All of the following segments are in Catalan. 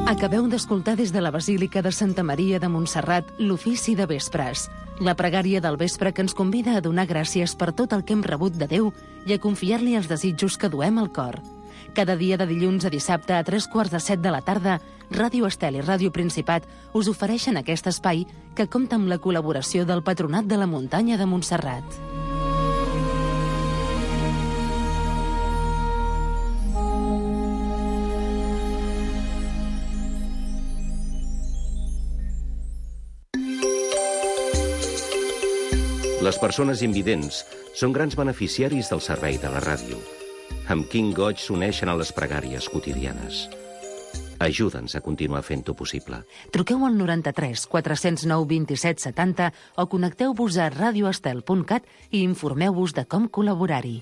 Acabeu d'escoltar des de la Basílica de Santa Maria de Montserrat l'ofici de vespres, la pregària del vespre que ens convida a donar gràcies per tot el que hem rebut de Déu i a confiar-li els desitjos que duem al cor. Cada dia de dilluns a dissabte a 3:45 de la tarda, Ràdio Estel i Ràdio Principat us ofereixen aquest espai que compta amb la col·laboració del Patronat de la Muntanya de Montserrat. Les persones invidents són grans beneficiaris del servei de la ràdio. Amb quin goig s'uneixen a les pregàries quotidianes. Ajuda'ns a continuar fent-ho possible. Truqueu al 93 409 27 70 o connecteu-vos a radioestel.cat i informeu-vos de com col·laborar-hi.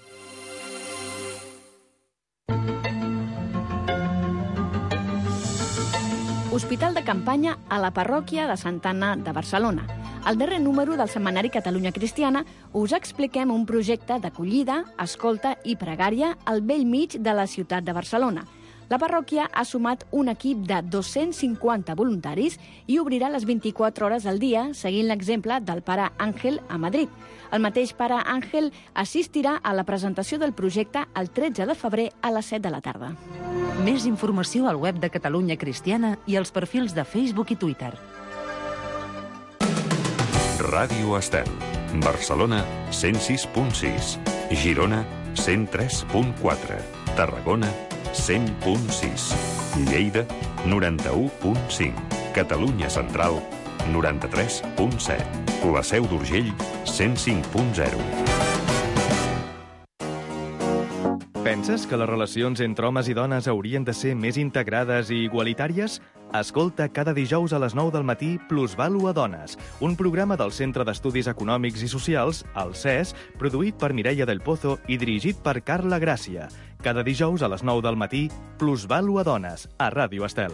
Hospital de campanya a la parròquia de Santa Anna de Barcelona. Al darrer número del setmanari Catalunya Cristiana us expliquem un projecte d'acollida, escolta i pregària al bell mig de la ciutat de Barcelona. La parròquia ha sumat un equip de 250 voluntaris i obrirà les 24 hores al dia, seguint l'exemple del pare Àngel a Madrid. El mateix pare Àngel assistirà a la presentació del projecte el 13 de febrer a les 7 de la tarda. Més informació al web de Catalunya Cristiana i als perfils de Facebook i Twitter. Ràdio Estel. Barcelona, 106.6. Girona, 103.4. Tarragona, 100.6. Lleida, 91.5. Catalunya Central, 93.7. La Seu d'Urgell, 105.0. Penses que les relacions entre homes i dones haurien de ser més integrades i igualitàries? Escolta cada dijous a les 9 del matí Plusvàlua Dones, un programa del Centre d'Estudis Econòmics i Socials, el CES, produït per Mireia del Pozo i dirigit per Carla Gràcia. Cada dijous a les 9 del matí Plusvàlua Dones, a Ràdio Estel.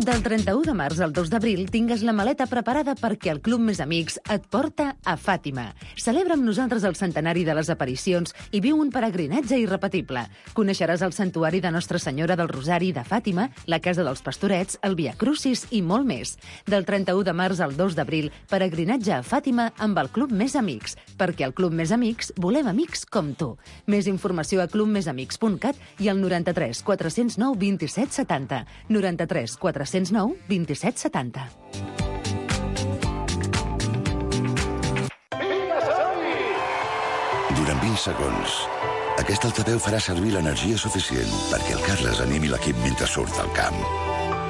Del 31 de març al 2 d'abril tingues la maleta preparada perquè el Club Més Amics et porta a Fàtima. Celebra amb nosaltres el centenari de les aparicions i viu un peregrinatge irrepetible. Coneixeràs el santuari de Nostra Senyora del Rosari de Fàtima, la Casa dels Pastorets, el Via Crucis i molt més. Del 31 de març al 2 d'abril, peregrinatge a Fàtima amb el Club Més Amics, perquè al Club Més Amics volem amics com tu. Més informació a clubmesamics.cat i al 93 409 27 70. 93 409 27 70. Durant 20 segons, aquest altaveu farà servir l'energia suficient perquè el Carles animi l'equip mentre surt al camp.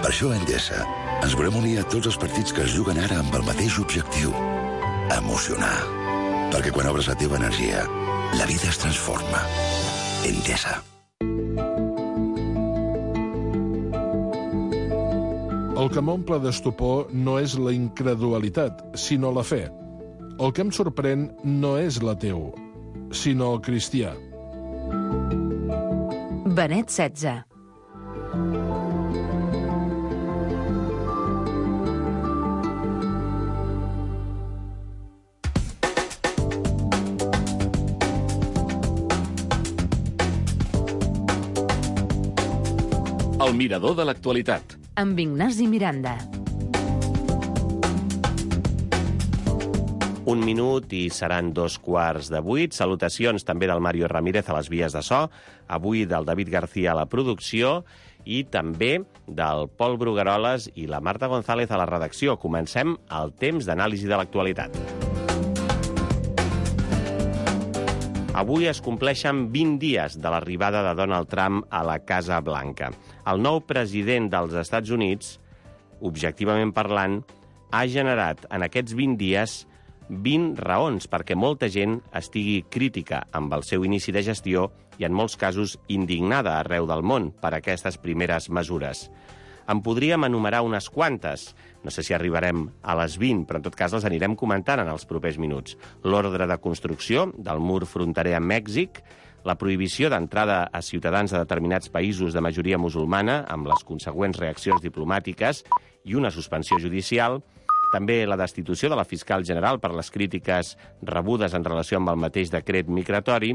Per això a Endesa ens volem unir a tots els partits que es juguen ara amb el mateix objectiu: emocionar. Perquè quan obres la teva energia, la vida es transforma. Endesa. El que m'omple d'estupor no és la incredulitat, sinó la fe. El que em sorprèn no és l'ateu, sinó el cristià. Benet XVI. El mirador de l'actualitat. Amb Ignasi Miranda. 1 minut i seran 2:15. Salutacions també del Mario Ramírez a les vies de so, avui del David García a la producció i també del Pol Brugueroles i la Marta González a la redacció. Comencem el temps d'anàlisi de l'actualitat. Avui es compleixen 20 dies de l'arribada de Donald Trump a la Casa Blanca. El nou president dels Estats Units, objectivament parlant, ha generat en aquests 20 dies 20 raons perquè molta gent estigui crítica amb el seu inici de gestió i en molts casos indignada arreu del món per aquestes primeres mesures. En podríem enumerar unes quantes. No sé si arribarem a les 20, però en tot cas les anirem comentant en els propers minuts. L'ordre de construcció del mur fronterer amb Mèxic, la prohibició d'entrada a ciutadans de determinats països de majoria musulmana, amb les consegüents reaccions diplomàtiques i una suspensió judicial, També la destitució de la fiscal general per les crítiques rebudes en relació amb el mateix decret migratori,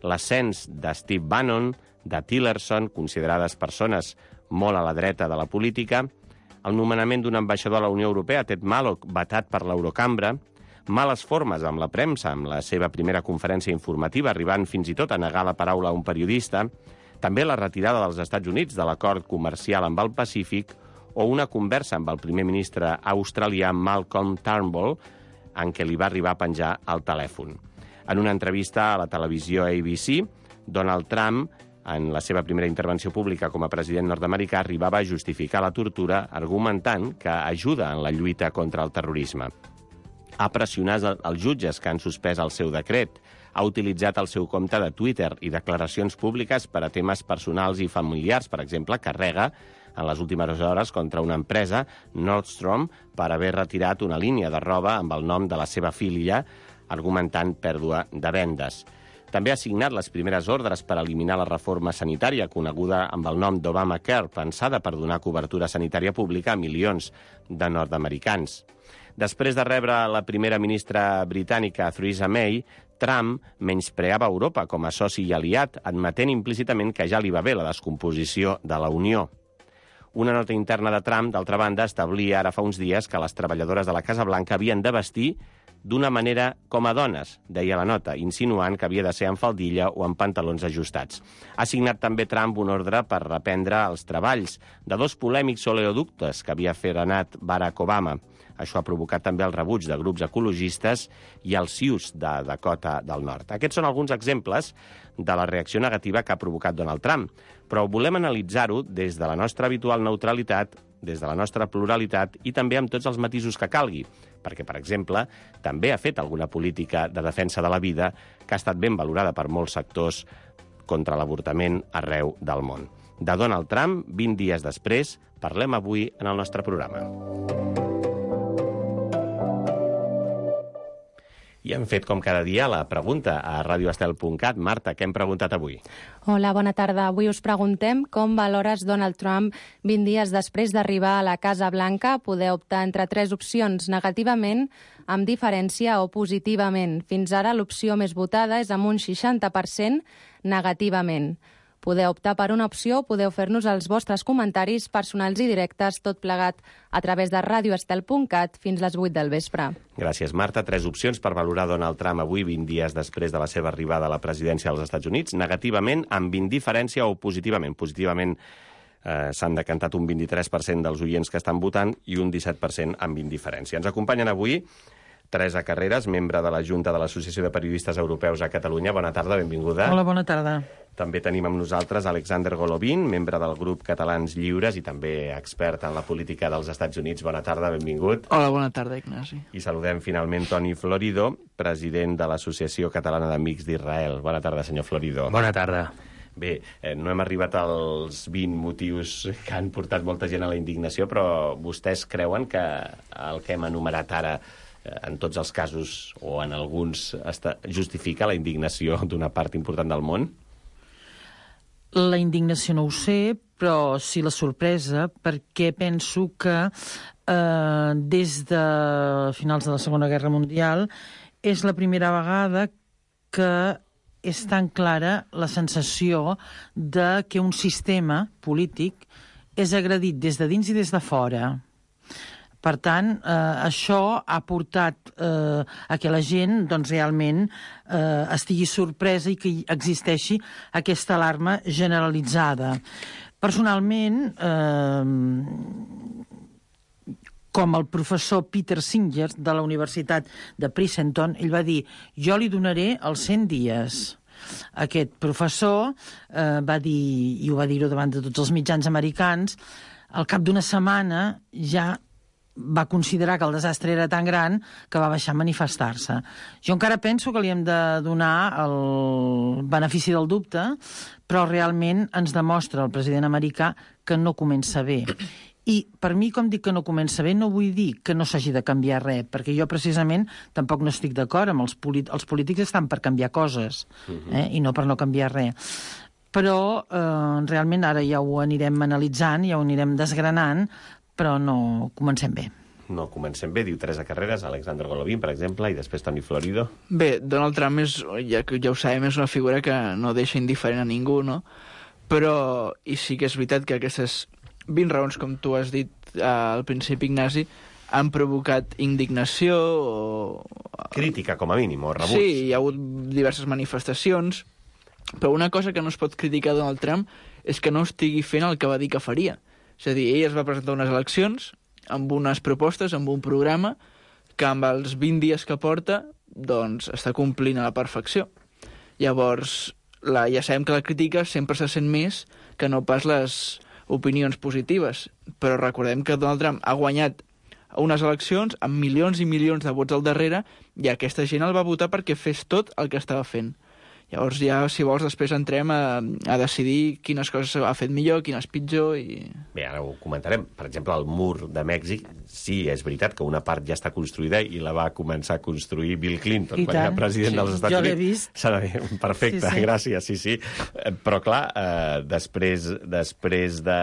l'ascens de Steve Bannon, de Tillerson, considerades persones molt a la dreta de la política, el nomenament d'un ambaixador a la Unió Europea, Ted Malloch, vetat per l'Eurocambra, males formes amb la premsa, amb la seva primera conferència informativa, arribant fins i tot a negar la paraula a un periodista, també la retirada dels Estats Units de l'acord comercial amb el Pacífic o una conversa amb el primer ministre australià Malcolm Turnbull en què li va arribar a penjar el telèfon. En una entrevista a la televisió ABC, Donald Trump, en la seva primera intervenció pública com a president nord-americà, arribava a justificar la tortura argumentant que ajuda en la lluita contra el terrorisme. Ha pressionat els jutges que han suspès el seu decret, ha utilitzat el seu compte de Twitter i declaracions públiques per a temes personals i familiars. Per exemple, carrega en les últimes hores contra una empresa, Nordstrom, per haver retirat una línia de roba amb el nom de la seva filla, argumentant pèrdua de vendes. També ha signat les primeres ordres per eliminar la reforma sanitària, coneguda amb el nom d'Obamacare, pensada per donar cobertura sanitària pública a milions de nord-americans. Després de rebre la primera ministra britànica, Theresa May, Trump menyspreava Europa com a soci i aliat, admetent implícitament que ja li va bé la descomposició de la Unió. Una nota interna de Trump, d'altra banda, establia ara fa uns dies que les treballadores de la Casa Blanca havien de vestir d'una manera com a dones, deia la nota, insinuant que havia de ser en faldilla o en pantalons ajustats. Ha signat també Trump un ordre per reprendre els treballs de dos polèmics oleoductes que havia frenat Barack Obama. Això ha provocat també el rebuig de grups ecologistes i els Sioux de Dakota del Nord. Aquests són alguns exemples de la reacció negativa que ha provocat Donald Trump, però volem analitzar-ho des de la nostra habitual neutralitat, des de la nostra pluralitat i també amb tots els matisos que calgui, perquè, per exemple, també ha fet alguna política de defensa de la vida que ha estat ben valorada per molts sectors contra l'avortament arreu del món. De Donald Trump, 20 dies després, parlem avui en el nostre programa. I hem fet, com cada dia, la pregunta a radioestel.cat. Marta, què hem preguntat avui? Hola, bona tarda. Avui us preguntem com valores Donald Trump 20 dies després d'arribar a la Casa Blanca. Podeu optar entre 3 opcions: negativament, amb diferència o positivament. Fins ara l'opció més votada és amb un 60% negativament. Podeu optar per una opció, podeu fer-nos els vostres comentaris personals i directes, tot plegat a través de radioestel.cat fins les 8 del vespre. Gràcies, Marta. 3 opcions per valorar Donald Trump avui, 20 dies després de la seva arribada a la presidència dels Estats Units. Negativament, amb indiferència o positivament. Positivament s'han decantat un 23% dels oients que estan votant i un 17% amb indiferència. Ens acompanyen avui Teresa Carreras, membre de la Junta de l'Associació de Periodistes Europeus a Catalunya. Bona tarda, benvinguda. Hola, bona tarda. També tenim amb nosaltres Alexander Golovin, membre del grup Catalans Lliures i també expert en la política dels Estats Units. Bona tarda, benvingut. Hola, bona tarda, Ignasi. I saludem finalment Toni Florido, president de l'Associació Catalana d'Amics d'Israel. Bona tarda, senyor Florido. Bona tarda. Bé, no hem arribat als 20 motius que han portat molta gent a la indignació, però vostès creuen que el que hem enumerat ara en tots els casos o en alguns justifica la indignació d'una part important del món? La indignació no ho sé, però sí la sorpresa, perquè penso que des de finals de la Segona Guerra Mundial és la primera vegada que és tan clara la sensació de que un sistema polític és agredit des de dins i des de fora. Per tant, això ha portat a que la gent doncs, realment estigui sorpresa i que existeixi aquesta alarma generalitzada. Personalment, com el professor Peter Singer de la Universitat de Princeton, ell va dir: jo li donaré els 100 dies. Aquest professor va dir, i ho va dir davant de tots els mitjans americans, al cap d'una setmana ja va considerar que el desastre era tan gran que va baixar a manifestar-se. Jo encara penso que li hem de donar el benefici del dubte, però realment ens demostra el president americà que no comença bé. I per mi, com dic que no comença bé, no vull dir que no s'hagi de canviar res, perquè jo precisament tampoc no estic d'acord amb els polítics estan per canviar coses, i no per no canviar res. Però realment ara ja ho anirem analitzant, ja ho anirem desgranant, però no comencem bé. no comencem bé. Diu Teresa Carreras, Alexander Golovin, per exemple, i després Toni Florido. Bé, Donald Trump ja ho sabem, és una figura que no deixa indiferent a ningú, no? Però, i sí que és veritat que aquestes 20 raons, com tu has dit al principi, Ignasi, han provocat indignació o... Crítica, com a mínim, o rebuig. Sí, hi ha hagut diverses manifestacions, però una cosa que no es pot criticar a Donald Trump és que no estigui fent el que va dir que faria. És a dir, ell es va presentar unes eleccions amb unes propostes, amb un programa que amb els 20 dies que porta doncs està complint a la perfecció. Llavors, ja sabem que la crítica sempre se sent més que no pas les opinions positives, però recordem que Donald Trump ha guanyat unes eleccions amb milions i milions de vots al darrere i aquesta gent el va votar perquè fes tot el que estava fent. Llavors ja, si vols, després entrem a decidir quines coses ha fet millor, quines pitjor i... Bé, ara ho comentarem. Per exemple, el mur de Mèxic, sí, és veritat que una part ja està construïda i la va començar a construir Bill Clinton quan era president dels Estats Units. Jo l'he vist. Perfecte, sí. Gràcies, sí. Però, clar, després de...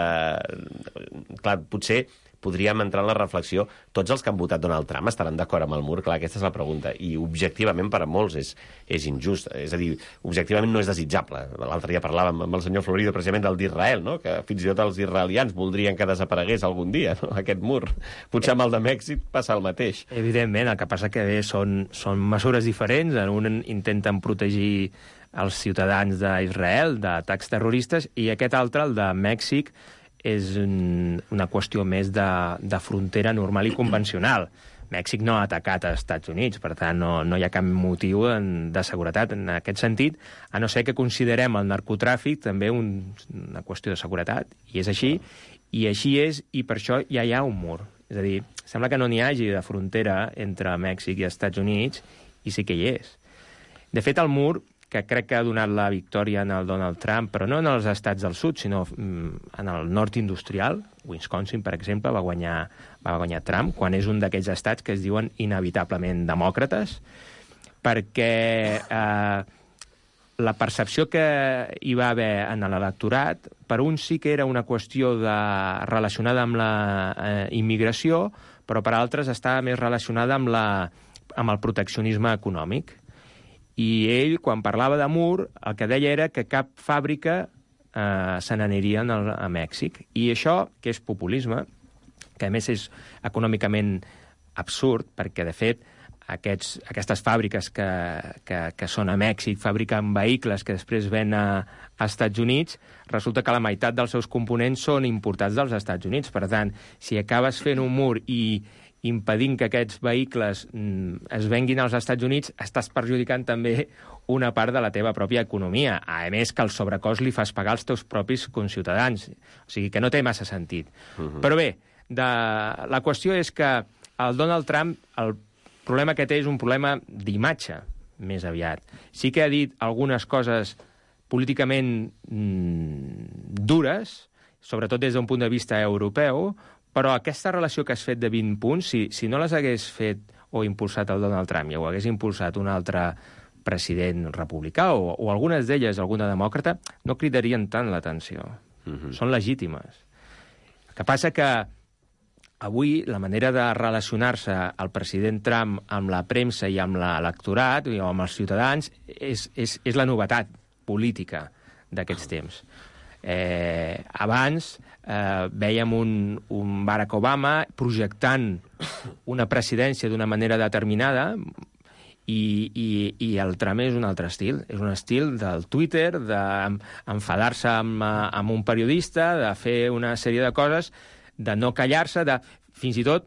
Clar, potser podríem entrar en la reflexió. Tots els que han votat Donald Trump estaran d'acord amb el mur? Clar, aquesta és la pregunta. I objectivament per a molts és injust. És a dir, objectivament no és desitjable. L'altre dia parlàvem amb el senyor Florido precisament del d'Israel, no? Que fins i tot els israelians voldrien que desaparegués algun dia, no? Aquest mur. Potser amb el de Mèxic passa el mateix. Evidentment, el que passa que bé, són mesures diferents. En un intenten protegir els ciutadans d'Israel d'atacs terroristes i aquest altre, el de Mèxic, és una qüestió més de frontera normal i convencional. Mèxic no ha atacat als Estats Units, per tant, no hi ha cap motiu de seguretat en aquest sentit, a no ser que considerem el narcotràfic també una qüestió de seguretat, i és així, i per això ja hi ha un mur. És a dir, sembla que no n'hi hagi de frontera entre Mèxic i Estats Units, i sí que hi és. De fet, el mur, que crec que ha donat la victòria en el Donald Trump, però no en els estats del sud, sinó en el nord industrial. Wisconsin, per exemple, va guanyar Trump, quan és un d'aquells estats que es diuen inevitablement demòcrates, perquè la percepció que hi va haver en l'electorat, per un sí que era una qüestió relacionada amb la immigració, però per altres estava més relacionada amb el proteccionisme econòmic. I ell, quan parlava de mur, el que deia era que cap fàbrica se n'aniria a Mèxic. I això, que és populisme, que a més és econòmicament absurd, perquè, de fet, aquestes fàbriques que són a Mèxic, fabriquen vehicles que després ven a Estats Units, resulta que la meitat dels seus components són importats dels Estats Units. Per tant, si acabes fent un mur i impedint que aquests vehicles es venguin als Estats Units, estàs perjudicant també una part de la teva pròpia economia. A més, que el sobrecost li fas pagar als teus propis conciutadans. O sigui, que no té massa sentit. Però bé, la qüestió és que el Donald Trump, el problema que té és un problema d'imatge, més aviat. Sí que ha dit algunes coses políticament dures, sobretot des d'un punt de vista europeu, però aquesta relació que has fet de 20 punts, si no les hagués fet o impulsat el Donald Trump i ho hagués impulsat un altre president republicà o algunes d'elles, alguna demòcrata, no cridarien tant l'atenció. Són legítimes. El que passa que avui la manera de relacionar-se el president Trump amb la premsa i amb l'electorat o amb els ciutadans és la novetat política d'aquests temps. Abans veiem un Barack Obama projectant una presidència d'una manera determinada i el Trump és un altre estil. És un estil del Twitter, d'enfadar-se amb un periodista, de fer una sèrie de coses, de no callar-se, fins i tot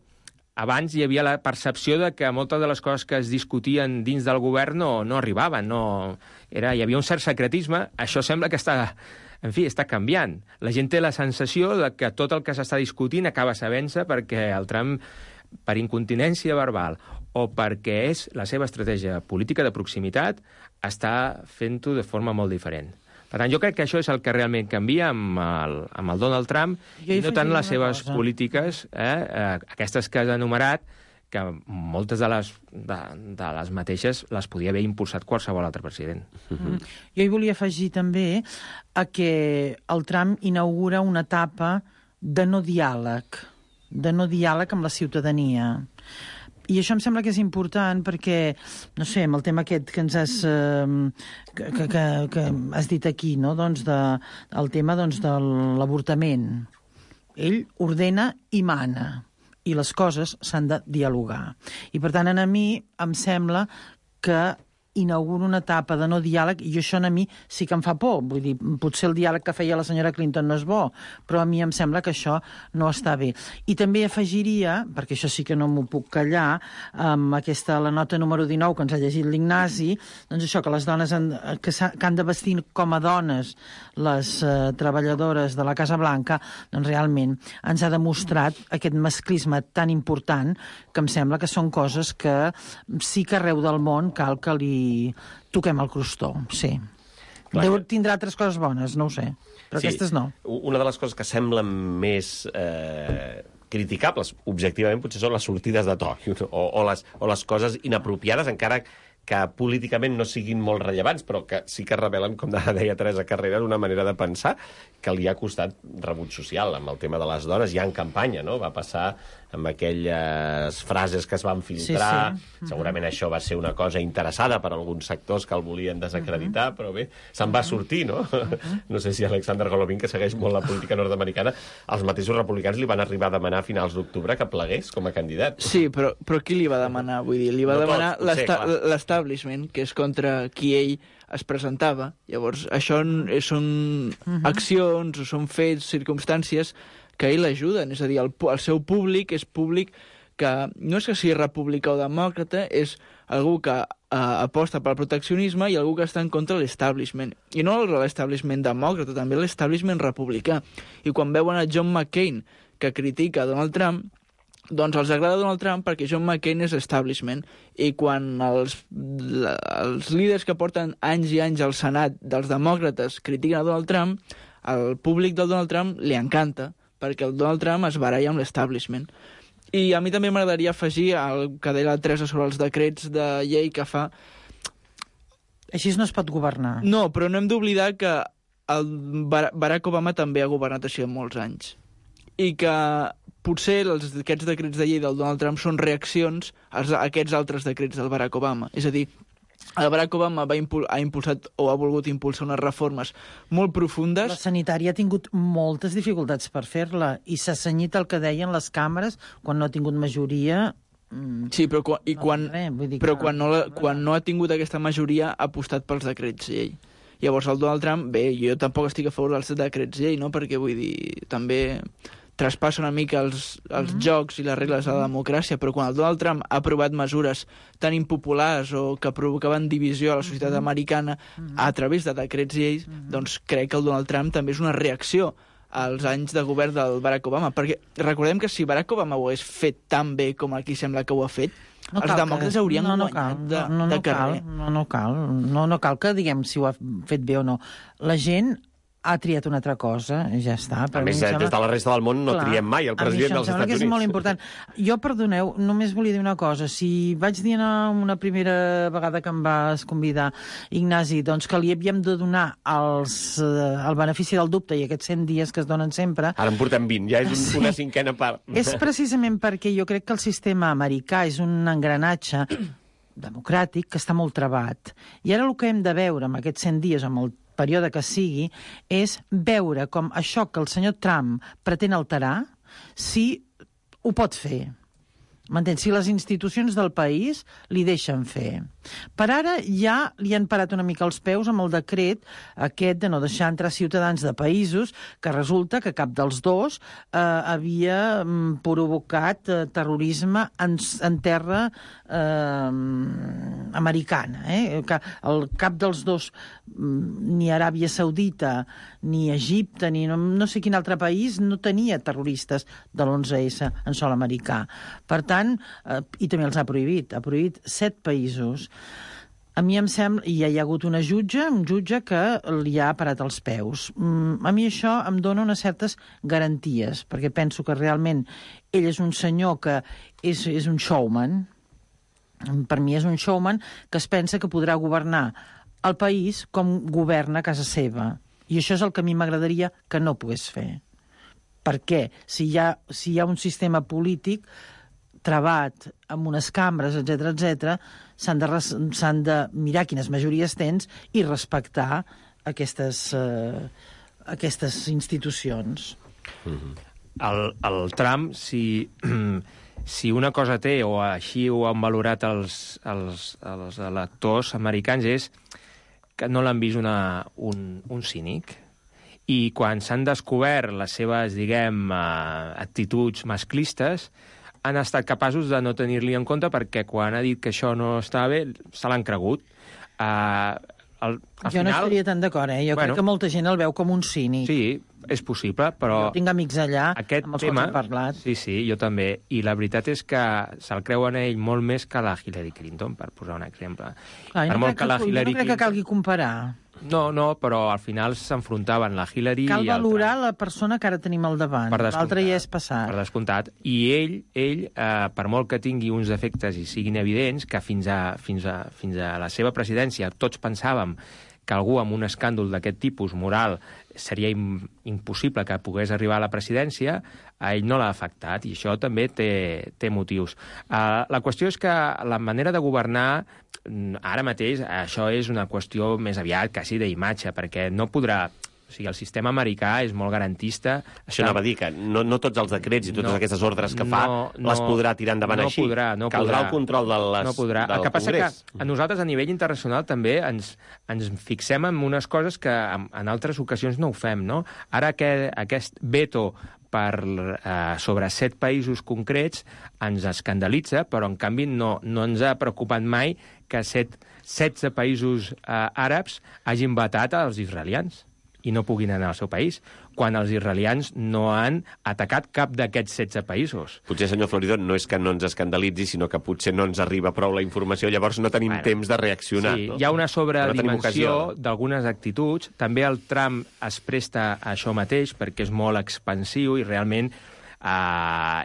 abans hi havia la percepció de que moltes de les coses que es discutien dins del govern no arribaven. Hi havia un cert secretisme. Això sembla que està canviant. La gent té la sensació de que tot el que s'està discutint acaba sabent-se perquè el Trump, per incontinència verbal o perquè és la seva estratègia política de proximitat, està fent-ho de forma molt diferent. Per tant, jo crec que això és el que realment canvia amb el Donald Trump i no tant les seves polítiques, aquestes que has enumerat, que moltes de les mateixes les podia haver impulsat qualsevol altre president. Jo hi volia afegir també que el Trump inaugura una etapa de no diàleg. de no diàleg amb la ciutadania. I això em sembla que és important perquè, no sé, amb el tema aquest que ens has, que has dit aquí, no? Doncs el tema de l'avortament. Ell ordena i mana, i les coses s'han de dialogar. I, per tant, a mi em sembla que inaugura una etapa de no diàleg, i això a mi sí que em fa por. Vull dir, potser el diàleg que feia la senyora Clinton no és bo, però a mi em sembla que això no està bé. I també afegiria, perquè això sí que no m'ho puc callar, amb la nota número 19 que ens ha llegit l'Ignasi, doncs això, que les dones que han de vestir com a dones les treballadores de la Casa Blanca, doncs realment ens ha demostrat aquest masclisme tan important que em sembla que són coses que sí que arreu del món cal que li toquem el crostó, sí. Tindrà altres coses bones, no ho sé, però sí, aquestes no. Una de les coses que semblen més criticables, objectivament, potser són les sortides de to o les coses inapropiades, encara que políticament no siguin molt rellevants, però que sí que revelen, com deia Teresa Carreras, una manera de pensar que li ha costat rebut social. Amb el tema de les dones ja en campanya, no? Va passar amb aquelles frases que es van filtrar. Sí. Segurament això va ser una cosa interessada per alguns sectors que el volien desacreditar, però bé, se'n va sortir, no? No sé si Alexander Golovin, que segueix molt la política nord-americana, els mateixos republicans li van arribar a demanar a finals d'octubre que plegués com a candidat. Sí, però qui li va demanar? Vull dir, li va demanar l'establishment, que és contra qui ell es presentava. Llavors, això són accions, o són fets, circumstàncies que ell l'ajuden. És a dir, el seu públic és públic que no és que sigui republicà o demòcrata, és algú que aposta pel proteccionisme i algú que està en contra de l'establishment. I no l'establishment demòcrata, també l'establishment republicà. I quan veuen a John McCain, que critica Donald Trump, doncs els agrada Donald Trump perquè John McCain és establishment. I quan els líders que porten anys i anys al Senat dels demòcrates critiquen a Donald Trump, al públic del Donald Trump li encanta, perquè el Donald Trump es baralla amb l'establishment. I a mi també m'agradaria afegir el que deia la Teresa sobre els decrets de llei que fa... Així no es pot governar. No, però no hem d'oblidar que el Barack Obama també ha governat així molts anys. I que potser aquests decrets de llei del Donald Trump són reaccions a aquests altres decrets del Barack Obama. És a dir, el Barack Obama ha impulsat o ha volgut impulsar unes reformes molt profundes. La sanitària ha tingut moltes dificultats per fer-la i s'ha cenyit el que deien les càmeres quan no ha tingut majoria. Sí, però quan no ha tingut aquesta majoria ha apostat pels decrets llei. Llavors el Donald Trump, bé, jo tampoc estic a favor dels decrets llei, no? Perquè vull dir, també traspassa una mica els jocs i les regles de la democràcia, però quan el Donald Trump ha aprovat mesures tan impopulars o que provocaven divisió a la societat americana a través de decrets lleis, doncs crec que el Donald Trump també és una reacció als anys de govern del Barack Obama, perquè recordem que si Barack Obama ho hagués fet tan bé com aquí sembla que ho ha fet, els demòcrates haurien guanyat de carrer. No cal que diguem si ho ha fet bé o no. La gent ha triat una altra cosa, ja està. A més, des de la resta del món no triem mai el president dels Estats Units. A mi em sembla que és molt important. Jo, perdoneu, només volia dir una cosa. Si vaig dir una primera vegada que em vas convidar, Ignasi, doncs que li havíem de donar el benefici del dubte i aquests 100 dies que es donen sempre... Ara en portem 20, ja és una cinquena part. És precisament perquè jo crec que el sistema americà és un engranatge democràtic que està molt trabat. I ara el que hem de veure amb aquests 100 dies, amb el període que sigui, és veure com això que el senyor Trump pretén alterar, si ho pot fer. M'entens? Si les institucions del país li deixen fer. Per ara ja li han parat una mica els peus amb el decret aquest de no deixar entrar ciutadans de països que resulta que cap dels dos havia provocat terrorisme en terra americana. Que cap dels dos, ni Aràbia Saudita, ni Egipte, ni no sé quin altre país, no tenia terroristes de l'11S en sòl americà. Per tant, i també els ha prohibit 7 països. A mi em sembla, i ja hi ha hagut un jutge que li ha parat els peus. A mi això em dona unes certes garanties, perquè penso que realment ell és un senyor que és un showman. Per mi és un showman que es pensa que podrà governar el país com governa a casa seva. I això és el que a mi m'agradaria que no pogués fer. perquè si hi ha un sistema polític travat amb unes cambres, etc, s'han de mirar quines majories tens i respectar aquestes institucions. El Trump, si una cosa té, o així ho han valorat els electors americans, és que no l'han vist un cínic. I quan s'han descobert les seves, diguem, actituds masclistes, han estat capaços de no tenir-li en compte perquè quan ha dit que això no estava bé, se l'han cregut. Jo no estaria tan d'acord, Jo crec que molta gent el veu com un cínic. Sí, és possible, però... Jo tinc amics allà amb els quals he parlat. Sí, jo també. I la veritat és que se'l creuen ell molt més que la Hillary Clinton, per posar un exemple. No crec que calgui comparar. No, però al final s'enfrontaven la Hillary Cal valorar la persona que ara tenim al davant. L'altre ja és passat. Per descomptat. I ell per molt que tingui uns defectes i siguin evidents, que fins a la seva presidència tots pensàvem que algú amb un escàndol d'aquest tipus moral seria impossible que pogués arribar a la presidència, a ell no l'ha afectat, i això també té motius. La qüestió és que la manera de governar, ara mateix, això és una qüestió més aviat quasi d'imatge, perquè no podrà... O sigui, el sistema americà és molt garantista. Això anava a dir, que no tots els decrets i totes aquestes ordres que fa les podrà tirar endavant així. Caldrà el control del Congrés. El que passa que a nosaltres, a nivell internacional, també ens fixem en unes coses que en altres ocasions no ho fem, no? Ara aquest veto sobre 7 països concrets ens escandalitza, però en canvi no ens ha preocupat mai que 16 països àrabs hagin vetat als israelians i no puguin anar al seu país, quan els israelians no han atacat cap d'aquests 16 països. Potser, senyor Floridó, no és que no ens escandalitzi, sinó que potser no ens arriba prou la informació, llavors no tenim temps de reaccionar. Sí, hi ha una sobredimensió d'algunes actituds. També el Trump es presta a això mateix, perquè és molt expansiu i realment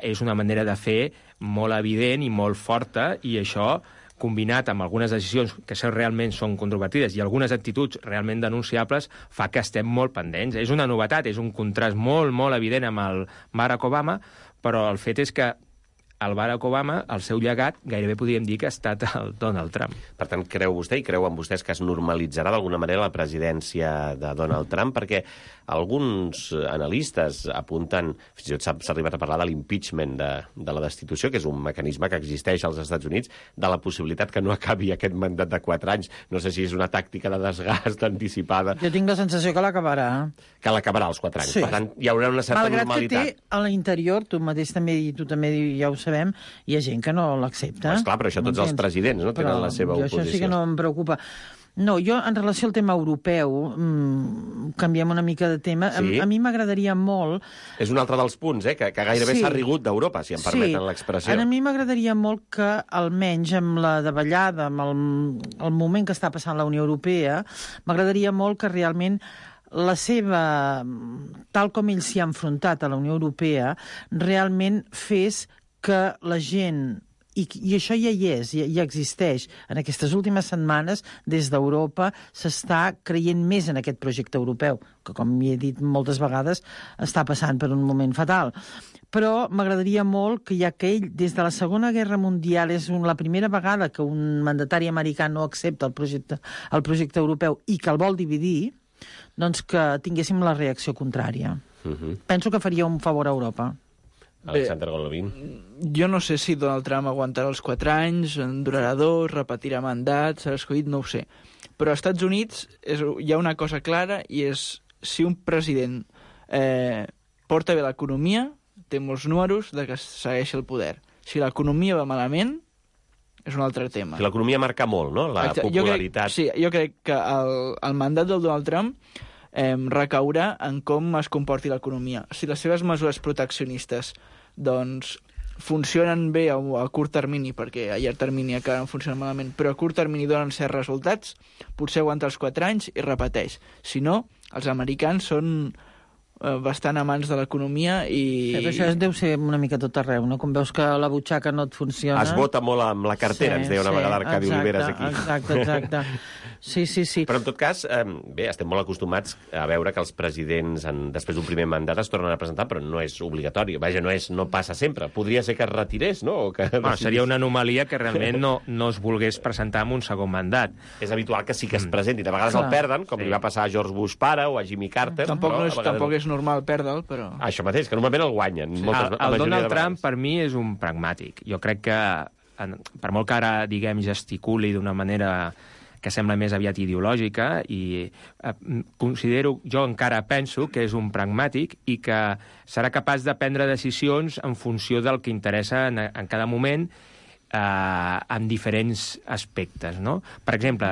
és una manera de fer molt evident i molt forta, i això combinat amb algunes decisions que realment són controvertides i algunes actituds realment denunciables, fa que estem molt pendents. És una novetat, és un contrast molt, molt evident amb el Barack Obama, però el fet és que el Barack Obama, el seu llegat, gairebé podríem dir que ha estat el Donald Trump. Per tant, creu vostè i creuen vostès que es normalitzarà d'alguna manera la presidència de Donald Trump? Perquè alguns analistes apunten, fins i tot s'ha arribat a parlar de l'impeachment de la destitució, que és un mecanisme que existeix als Estats Units, de la possibilitat que no acabi aquest mandat de 4 anys. No sé si és una tàctica de desgast anticipada. Jo tinc la sensació que l'acabarà. Que l'acabarà als 4 anys. Sí. Per tant, hi haurà una certa normalitat. Malgrat que té a l'interior, tu també ja ho sabem, hi ha gent que no l'accepta. Esclar, però això tots els presidents no tenen la seva oposició. Això sí que no em preocupa. No, jo, en relació al tema europeu, canviem una mica de tema. Sí. A mi m'agradaria molt... És un altre dels punts, que gairebé s'ha rigut d'Europa, si em permeten l'expressió. A mi m'agradaria molt que, almenys amb la davallada, amb el moment que està passant la Unió Europea, m'agradaria molt que realment la seva, tal com ells s'hi ha enfrontat a la Unió Europea, realment fes que la gent... I això ja hi és, ja existeix. En aquestes últimes setmanes, des d'Europa, s'està creient més en aquest projecte europeu, que, com he dit moltes vegades, està passant per un moment fatal. Però m'agradaria molt que, ja que ell, des de la Segona Guerra Mundial, és la primera vegada que un mandatari americà no accepta el projecte europeu i que el vol dividir, doncs que tinguéssim la reacció contrària. Penso que faria un favor a Europa. Alexander Golovin. Jo no sé si Donald Trump aguantarà els 4 anys, en durarà 2, repetirà mandat, serà escollit, no ho sé. Però als Estats Units hi ha una cosa clara, i és si un president porta bé l'economia, té molts números de que segueix el poder. Si l'economia va malament, és un altre tema. Si l'economia marca molt, no?, la popularitat. Jo crec que el mandat del Donald Trump recaurà en com es comporti l'economia. Si les seves mesures proteccionistes doncs funcionen bé a curt termini, perquè a llarg termini acaben funcionant malament, però a curt termini donen certs resultats, potser aguanta els 4 anys i repeteix. Si no, els americans són bastant amants de l'economia i... Sí, això deu ser una mica tot arreu, no? Com veus que la butxaca no et funciona... Es vota molt amb la cartera, ens deia una vegada Arcadi Oliveres aquí. Exacte. Sí. Però, en tot cas, bé, estem molt acostumats a veure que els presidents, després d'un primer mandat, es tornen a presentar, però no és obligatori. Vaja, no passa sempre. Podria ser que es retirés, no? O que seria una anomalia que realment no es volgués presentar amb un segon mandat. És habitual que sí que es presentin. De vegades el perden, com li va passar a George Bush pare o a Jimmy Carter. Tampoc és normal perdre'l, però... Això mateix, que normalment el guanyen. El Donald Trump, per mi, és un pragmàtic. Jo crec que, per molt que ara, diguem, gesticuli d'una manera que sembla més aviat ideològica, i jo encara penso que és un pragmàtic i que serà capaç de prendre decisions en funció del que interessa en cada moment, en diferents aspectes, no? Per exemple,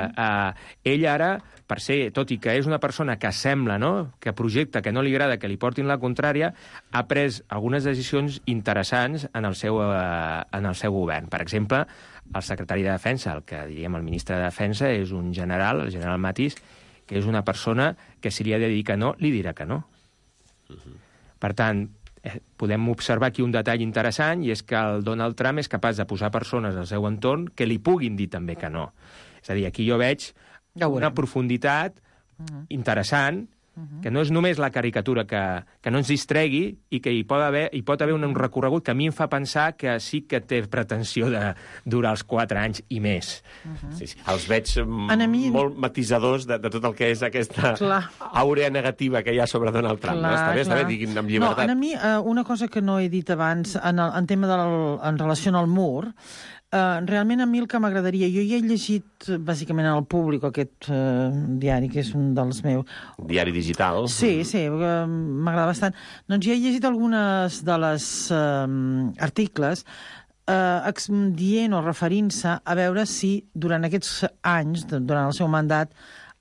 ell ara, per ser, tot i que és una persona que sembla, no?, que projecta, que no li agrada que li portin la contrària, ha pres algunes decisions interessants en el seu govern. Per exemple, el secretari de Defensa, el que diríem el ministre de Defensa, és un general, el general Mattis, que és una persona que si li ha de dir que no, li dirà que no. Per tant, podem observar aquí un detall interessant, i és que el Donald Trump és capaç de posar persones al seu entorn que li puguin dir també que no. És a dir, aquí jo veig una profunditat interessant, que no és només la caricatura que no ens distregui, i que hi pot haver un recorregut que a mi em fa pensar que sí que té pretensió de durar els 4 anys i més. Sí. Els veig molt matisadors de tot el que és aquesta àurea negativa que hi ha sobre Donald Trump. Està bé, diguin amb llibertat. No, a mi, una cosa que no he dit abans, en tema en relació al mur, realment a mi el que m'agradaria... Jo ja he llegit, bàsicament, al Públic, aquest diari, que és un dels meus... Diari digital. Sí, m'agrada bastant. Doncs ja he llegit algunes de les articles dient o referint-se a veure si durant aquests anys, durant el seu mandat,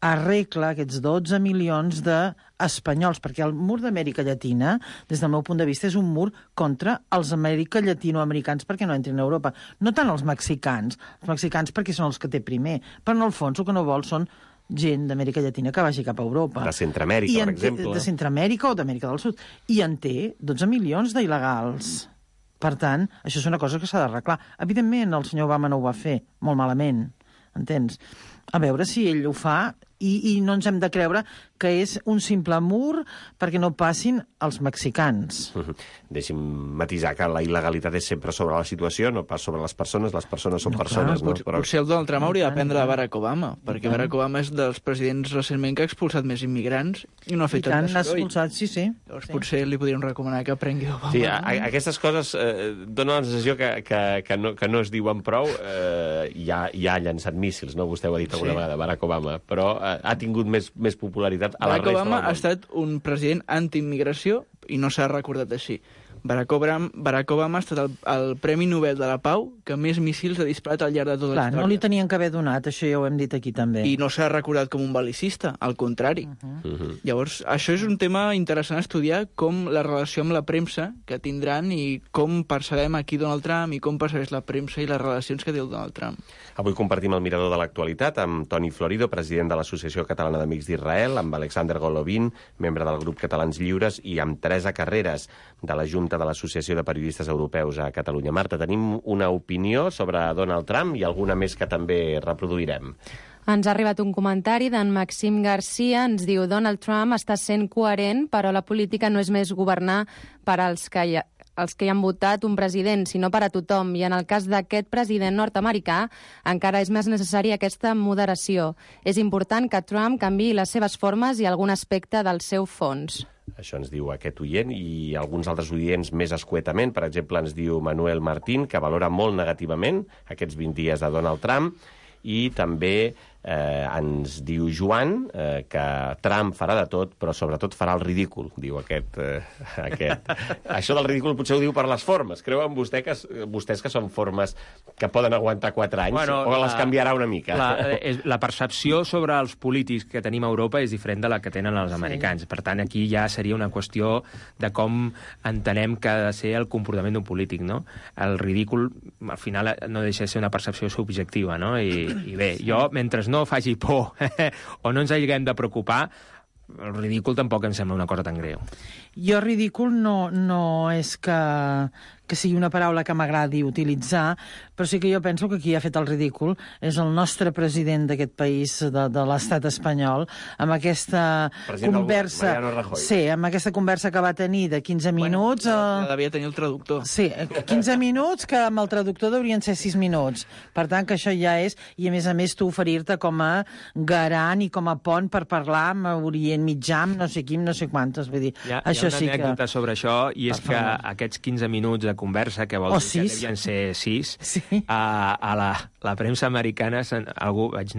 arregla aquests 12 milions d'espanyols, perquè el mur d'Amèrica Llatina, des del meu punt de vista, és un mur contra els llatinoamericans perquè no entrin a Europa. No tant els mexicans perquè són els que té primer, però en el fons el que no vol són gent d'Amèrica Llatina que vagi cap a Europa. De Centroamèrica, per exemple. De Centroamèrica o d'Amèrica del Sud. I en té 12 milions d'il·legals. Per tant, això és una cosa que s'ha d'arreglar. Evidentment, el senyor Obama no ho va fer, molt malament, entens? A veure si ell ho fa i no ens hem de creure que és un simple mur perquè no passin els mexicans. Deixi'm matisar que la il·legalitat és sempre sobre la situació, no pas sobre les persones són persones. Potser el Donald Trump hauria d'aprendre de Barack Obama, perquè Barack Obama és dels presidents recentment que ha expulsat més immigrants i no ha fet tant n'ha expulsat, sí. Llavors potser li podríem recomanar que aprengui d'Obama. Sí, aquestes coses donen la sensació que no es diuen prou. Ja ha llançat míssils, no? Vostè ho ha dit alguna vegada, Barack Obama, però ha tingut més popularitat a la resta del món. Barack Obama ha estat un president anti-immigració i no s'ha recordat així. Barack Obama ha estat el Premi Nobel de la Pau que més míssils ha disparat al llarg de tota la història. No li tenien que haver donat, això ja ho hem dit aquí també. I no s'ha recordat com un bel·licista, al contrari. Llavors, això és un tema interessant a estudiar, com la relació amb la premsa que tindran i com percebem aquí Donald Trump i com percebeix la premsa i les relacions que té el Donald Trump. Avui compartim el mirador de l'actualitat amb Toni Florido, president de l'Associació Catalana d'Amics d'Israel, amb Alexander Golovin, membre del grup Catalans Lliures, i amb Teresa Carreras, de la Junta de l'Associació de Periodistes Europeus a Catalunya. Marta, tenim una opinió sobre Donald Trump i alguna més que també reproduirem. Ens ha arribat un comentari d'en Maxim Garcia, ens diu: Donald Trump està sent coherent, però la política no és més governar per als que hi han votat un president, sinó per a tothom. I en el cas d'aquest president nord-americà encara és més necessària aquesta moderació. És important que Trump canviï les seves formes i algun aspecte del seu fons. Això ens diu aquest oient, i alguns altres oients més escuetament. Per exemple, ens diu Manuel Martín, que valora molt negativament aquests 20 dies de Donald Trump, i també ens diu Joan que Trump farà de tot, però sobretot farà el ridícul, diu aquest. Això del ridícul potser ho diu per les formes. Creuen vostès que són formes que poden aguantar 4 anys, o les canviarà una mica? La percepció sobre els polítics que tenim a Europa és diferent de la que tenen els americans. Per tant, aquí ja seria una qüestió de com entenem que ha de ser el comportament d'un polític, no? El ridícul, al final, no deixa de ser una percepció subjectiva, no? I bé, jo, mentre no faci por o no ens haguem de preocupar, el ridícul tampoc em sembla una cosa tan greu. Jo ridícul no és que sigui una paraula que m'agradi utilitzar, però sí que jo penso que qui ha fet el ridícul és el nostre president d'aquest país, de l'estat espanyol, amb aquesta conversa... Mariano Rajoy. Sí, amb aquesta conversa que va tenir de 15 minuts... Bueno, devia tenir el traductor. Sí, 15 minuts, que amb el traductor deurien ser 6 minuts. Per tant, que això ja és... I, a més, tu oferir-te com a garant i com a pont per parlar amb Orient Mitjà, amb no sé qui, no sé quantes. Vull dir, hi ha això una sí que... anècdota sobre això, i és que aquests 15 minuts de conversa, que vol dir que devien ser 6, sí. A la premsa americana algú vaig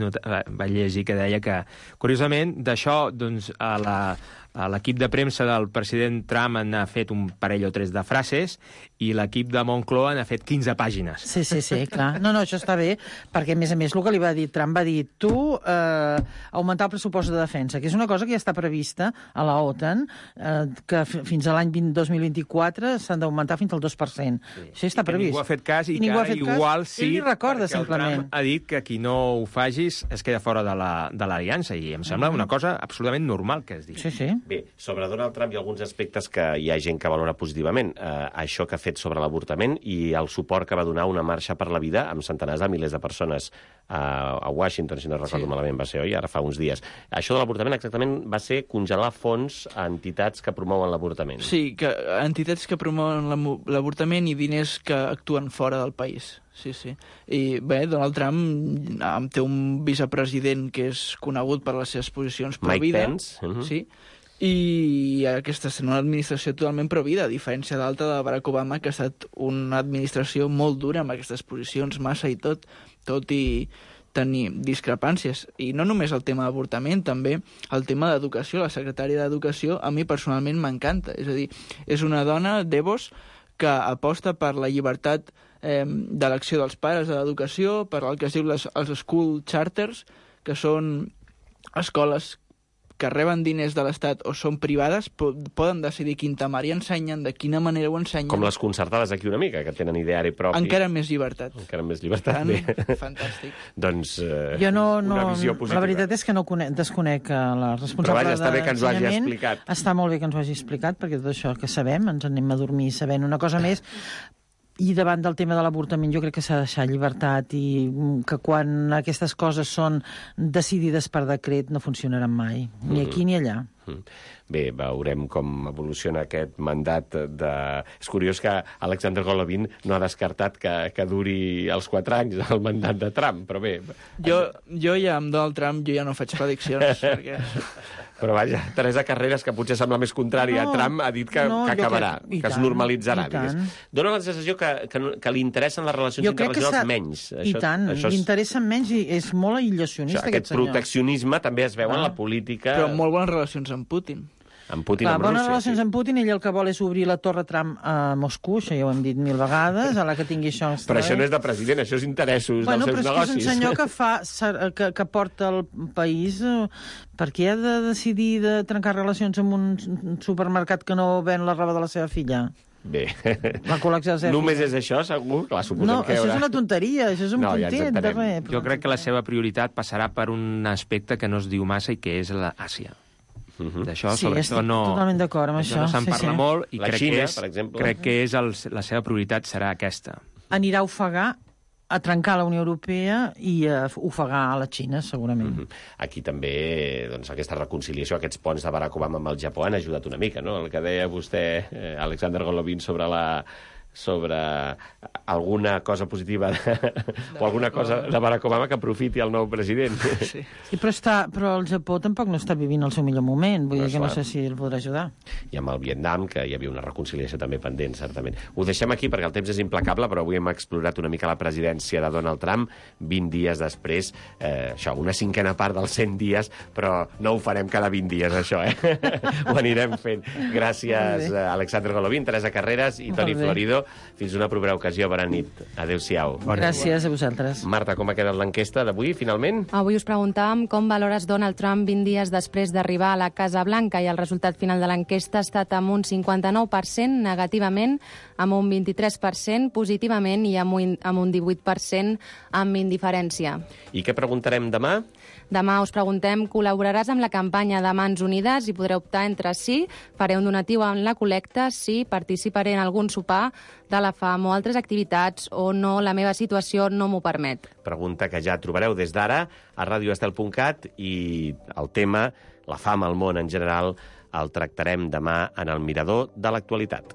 llegir que deia que, curiosament, d'això, doncs, a l'equip de premsa del president Trump n'ha fet un parell o 3 de frases i l'equip de Moncloa n'ha fet 15 pàgines. Sí, clar. No, això està bé, perquè, a més, el que li va dir Trump va dir augmentar el pressupost de defensa, que és una cosa que ja està prevista a la OTAN, que fins a l'any 2024 s'han d'augmentar fins al 2%. Sí. Això està previst. Ningú ha fet cas i que ara igual sí, ell recorda, perquè simplement. El Trump ha dit que qui no ho facis es queda fora de l'aliança, i em sembla una cosa absolutament normal que es digui. Sí. Bé, sobre Donald Trump hi ha alguns aspectes que hi ha gent que valora positivament. Això que ha fet sobre l'avortament i el suport que va donar una marxa per la vida amb centenars de milers de persones a Washington, si no recordo malament, va ser, oi? Ara fa uns dies. Això de l'avortament exactament va ser congelar fons a entitats que promouen l'avortament. Sí, que entitats que promouen l'avortament i diners que actuen fora del país. Sí. I bé, Donald Trump té un vicepresident que és conegut per les seves posicions pro-vida. Mike Pence. Sí. I aquesta és una administració totalment pro-vida, a diferència d'altra de Barack Obama, que ha estat una administració molt dura amb aquestes posicions, massa i tot i tenir discrepàncies. I no només el tema d'avortament, també el tema d'educació. La secretària d'Educació a mi personalment m'encanta. És a dir, és una dona, Devos, que aposta per la llibertat d'elecció dels pares de l'educació, per el que es diu els school charters, que són escoles que reben diners de l'Estat o són privades, poden decidir quin temari ensenyen, de quina manera ho ensenyen. Com les concertades aquí una mica, que tenen ideari propi. Encara més llibertat. Bé. Fantàstic. Doncs jo una visió positiva. La veritat és que no desconec la responsable. Però vaja, està bé que ens ho hagi explicat. Està molt bé que ens ho hagi explicat, perquè tot això que sabem, ens anem a dormir sabent una cosa més. I davant del tema de l'avortament jo crec que s'ha de deixar llibertat i que quan aquestes coses són decidides per decret no funcionaran mai, ni aquí ni allà. Bé, veurem com evoluciona aquest mandat És curiós que Alexander Golovin no ha descartat que duri els 4 anys el mandat de Trump, però bé... Jo ja amb Donald Trump jo ja no faig prediccions, perquè... Però vaja, Teresa Carreras, que potser sembla més contrària a Trump, ha dit que acabarà, que es normalitzarà. Dóna la sensació que li interessen les relacions internacionals menys. I tant, li interessen menys i és molt aïllacionista aquest senyor. Aquest proteccionisme també es veu en la política... Però molt bones relacions amb Putin. Amb Putin, amb bones Rússia, relacions amb Putin, ell el que vol és obrir la Torre Trump a Moscou, això ja ho hem dit 1000 vegades, a la que tingui això... Però això no és de president, això és interessos dels seus negocis. Però és un senyor que porta el país... Per què ha de decidir de trencar relacions amb un supermercat que no ven la roba de la seva filla? Bé, la col·lecció de només és això, segur? Clar, no, això és una tonteria, això és un puntet de res. Jo crec que la seva prioritat passarà per un aspecte que no es diu massa i que és l'Àsia. D'això, sí, estic totalment d'acord amb això. No se'n parla molt i la Xina, per exemple. Crec que la seva prioritat serà aquesta. Anirà a ofegar, a trencar la Unió Europea i a ofegar a la Xina, segurament. Aquí també, doncs, aquesta reconciliació, aquests ponts de Barack Obama amb el Japó han ajudat una mica, no? El que deia vostè, Alexander Golovin, sobre alguna cosa positiva o alguna cosa de Barack Obama que aprofiti el nou president. Sí, però el Japó tampoc no està vivint el seu millor moment, vull dir que no sé si el podrà ajudar. I amb el Vietnam, que hi havia una reconciliació també pendent, certament. Ho deixem aquí perquè el temps és implacable, però avui hem explorat una mica la presidència de Donald Trump, 20 dies després, això, una cinquena part dels 100 dies, però no ho farem cada 20 dies, això, Ho anirem fent. Gràcies, Alexander Golovin, Teresa Carreras i Toni Florido. informació. Fins una propera ocasió. Bona nit. Adéu-siau. Gràcies a vosaltres. Marta, com ha quedat l'enquesta d'avui, finalment? Avui us preguntàvem com valores Donald Trump 20 dies després d'arribar a la Casa Blanca i el resultat final de l'enquesta ha estat amb un 59% negativament, amb un 23% positivament i amb un 18% amb indiferència. I què preguntarem demà? Demà us preguntem, col·laboraràs amb la campanya de Mans Unides i podreu optar entre sí, faré un donatiu en la col·lecta, sí, participaré en algun sopar de la fam o altres activitats o no, la meva situació no m'ho permet. Pregunta que ja trobareu des d'ara a radioestel.cat i el tema, la fam al món en general, el tractarem demà en el Mirador de l'actualitat.